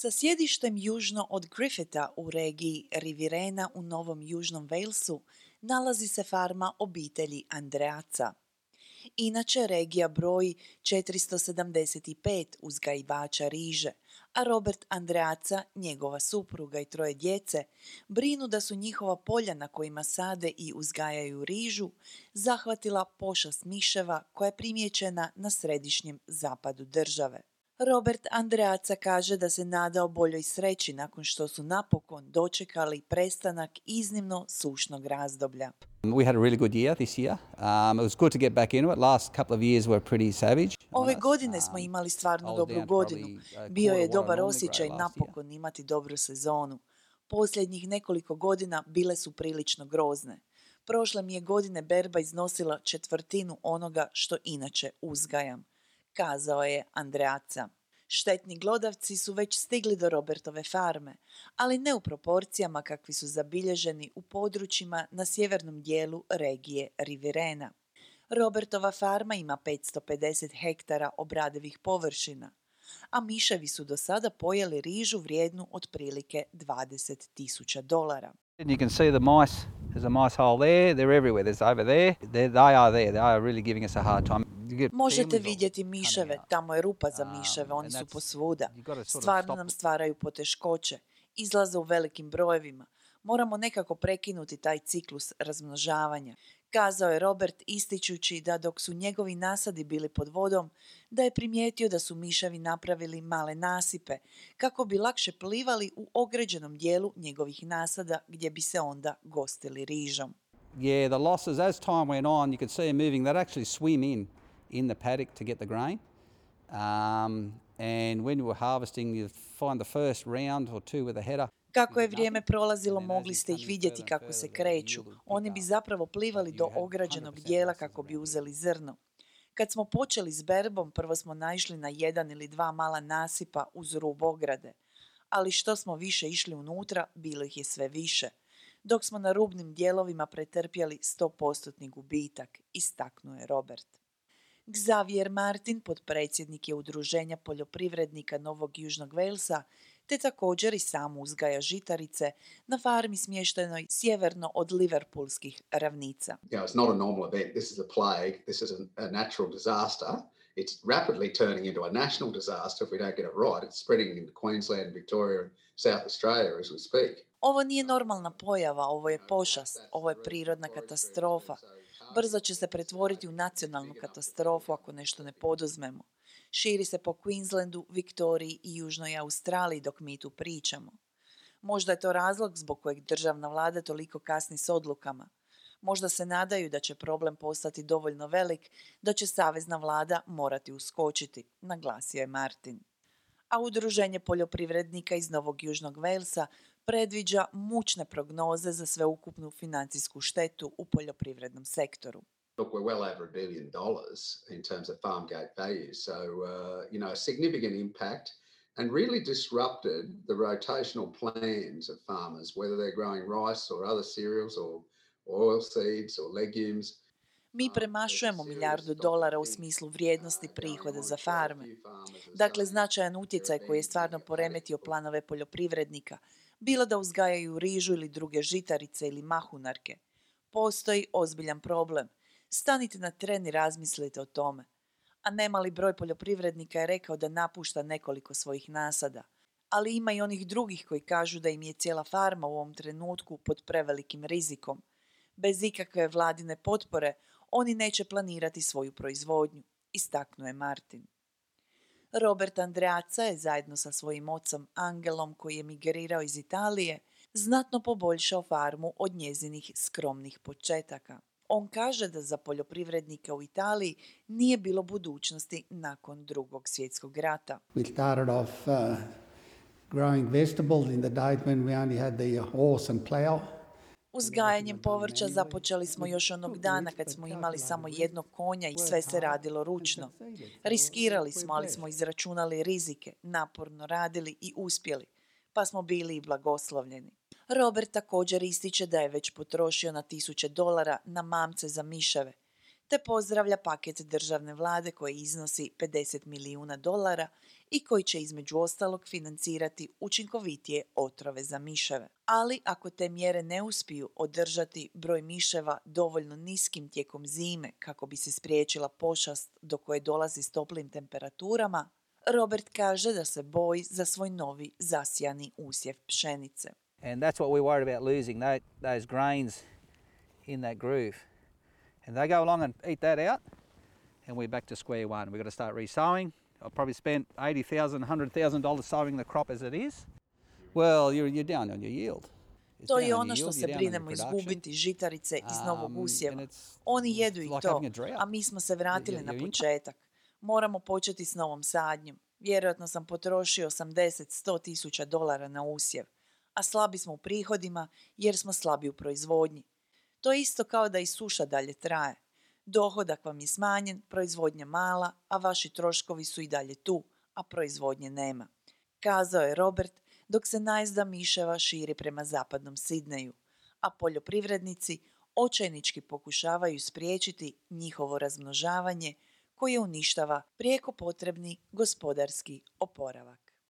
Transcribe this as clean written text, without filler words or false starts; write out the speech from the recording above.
Sa sjedištem južno od Griffitha u regiji Riverena u Novom Južnom Walesu nalazi se farma obitelji Andreaca. Inače, regija broji 475 uzgajivača riže, a Robert Andreaca, njegova supruga i 3 djece brinu da su njihova polja na kojima sade i uzgajaju rižu zahvatila pošast miševa koja je primijećena na središnjem zapadu države. Robert Andreaca kaže da se nadao boljoj sreći nakon što su napokon dočekali prestanak iznimno sušnog razdoblja. We had a really good year this year. It was good to get back into it. Last couple of years were pretty savage. Ove godine smo imali stvarno dobru godinu. Bio je dobar osjećaj napokon imati dobru sezonu. Posljednjih nekoliko godina bile su prilično grozne. Prošle mi je godine berba iznosila 1/4 onoga što inače uzgajam, kazao je Andreaca. Štetni glodavci su već stigli do Robertove farme, ali ne u proporcijama kakvi su zabilježeni u područjima na sjevernom dijelu regije Riverena. Robertova farma ima 550 hektara obradivih površina, a miševi su do sada pojeli rižu vrijednu otprilike $20,000. You can see the mice. There's a mice hole there. They're everywhere. There's over there. They are there. They are really giving us a hard time. Možete vidjeti miševe, tamo je rupa za miševe, oni su posvuda. Stvarno nam stvaraju poteškoće, izlaze u velikim brojevima. Moramo nekako prekinuti taj ciklus razmnožavanja, kazao je Robert ističući da dok su njegovi nasadi bili pod vodom, da je primijetio da su miševi napravili male nasipe kako bi lakše plivali u ograđenom dijelu njegovih nasada gdje bi se onda gostili rižom. Yeah, the losses as time went on, you could see them moving. They'd actually swim in the paddock to get the grain. And when you were harvesting, you'd find the first round or two with a header. Kako je vrijeme prolazilo, mogli ste ih vidjeti kako se kreću. Oni bi zapravo plivali do ograđenog dijela kako bi uzeli zrno. Kad smo počeli s berbom, prvo smo naišli na 1 ili 2 mala nasipa uz rub ograde. Ali što smo više išli unutra, bilo ih je sve više. Dok smo na rubnim dijelovima pretrpjeli 100% gubitak, istaknuo je Robert. Xavier Martin, potpredsjednik je Udruženja poljoprivrednika Novog Južnog Walesa, te također i sam uzgaja žitarice na farmi smještenoj sjeverno od Liverpoolskih ravnica. It's not a normal event. This is a plague. This is a natural disaster. It's rapidly turning into a national disaster if we don't get it right. It's spreading into Queensland, Victoria and South Australia as we speak. Ovo nije normalna pojava, ovo je pošast, ovo je prirodna katastrofa. Brzo će se pretvoriti u nacionalnu katastrofu ako nešto ne poduzmemo. Širi se po Queenslandu, Viktoriji i Južnoj Australiji dok mi tu pričamo. Možda je to razlog zbog kojeg državna vlada toliko kasni s odlukama. Možda se nadaju da će problem postati dovoljno velik, da će savezna vlada morati uskočiti, naglasio je Martin. A Udruženje poljoprivrednika iz Novog Južnog Walesa predviđa mučne prognoze za sveukupnu financijsku štetu u poljoprivrednom sektoru. Look, we're well over $1 billion in terms of farm gate value, so a significant impact and really disrupted the rotational plans of farmers, whether they're growing rice or other cereals or oilseeds or legumes. Mi premašujemo $1 milijardu u smislu vrijednosti prihoda za farme. Dakle, značajan utjecaj koji je stvarno poremetio planove poljoprivrednika, bilo da uzgajaju rižu ili druge žitarice ili mahunarke. Postoji ozbiljan problem. Stanite na tren i razmislite o tome. A nemali broj poljoprivrednika je rekao da napušta nekoliko svojih nasada. Ali ima i onih drugih koji kažu da im je cijela farma u ovom trenutku pod prevelikim rizikom. Bez ikakve vladine potpore oni neće planirati svoju proizvodnju, istaknuo je Martin. Robert Andreaca je zajedno sa svojim ocom Angelom, koji je migrirao iz Italije, znatno poboljšao farmu od njezinih skromnih početaka. On kaže da za poljoprivrednike u Italiji nije bilo budućnosti nakon Drugog svjetskog rata. We started off growing vegetables in the days when we only had the horse and plough. Uzgajanjem povrća započeli smo još onog dana kad smo imali samo jednog konja i sve se radilo ručno. Riskirali smo, ali smo izračunali rizike, naporno radili i uspjeli, pa smo bili i blagoslovljeni. Robert također ističe da je već potrošio na $1,000 na mamce za miševe, te pozdravlja paket državne vlade koji iznosi $50 milijuna i koji će između ostalog financirati učinkovitije otrove za miševe. Ali ako te mjere ne uspiju održati broj miševa dovoljno niskim tijekom zime kako bi se spriječila pošast do koje dolazi s toplim temperaturama, Robert kaže da se boji za svoj novi zasijani usjev pšenice. And that's what we're worried about, losing those grains in that groove. And they go along and eat that out, and we're back to square one. We've got to start re-sowing. I've probably spent $80,000, $100,000 sowing the crop as it is. Well, you're down on your yield. To je ono što se brinemo izgubiti, žitarice iz novog usjeva. Oni jedu i to, a mi smo se vratili na početak. Moramo početi s novom sadnjom. Vjerojatno sam potrošio $80-100 tisuća na usjev, a slabi smo u prihodima jer smo slabi u proizvodnji. To je isto kao da i suša dalje traje. Dohodak vam je smanjen, proizvodnja mala, a vaši troškovi su i dalje tu, a proizvodnje nema. Kazao je Robert dok se najezda miševa širi prema zapadnom Sidneju, a poljoprivrednici očajnički pokušavaju spriječiti njihovo razmnožavanje koje uništava prijeko potrebni gospodarski oporavak.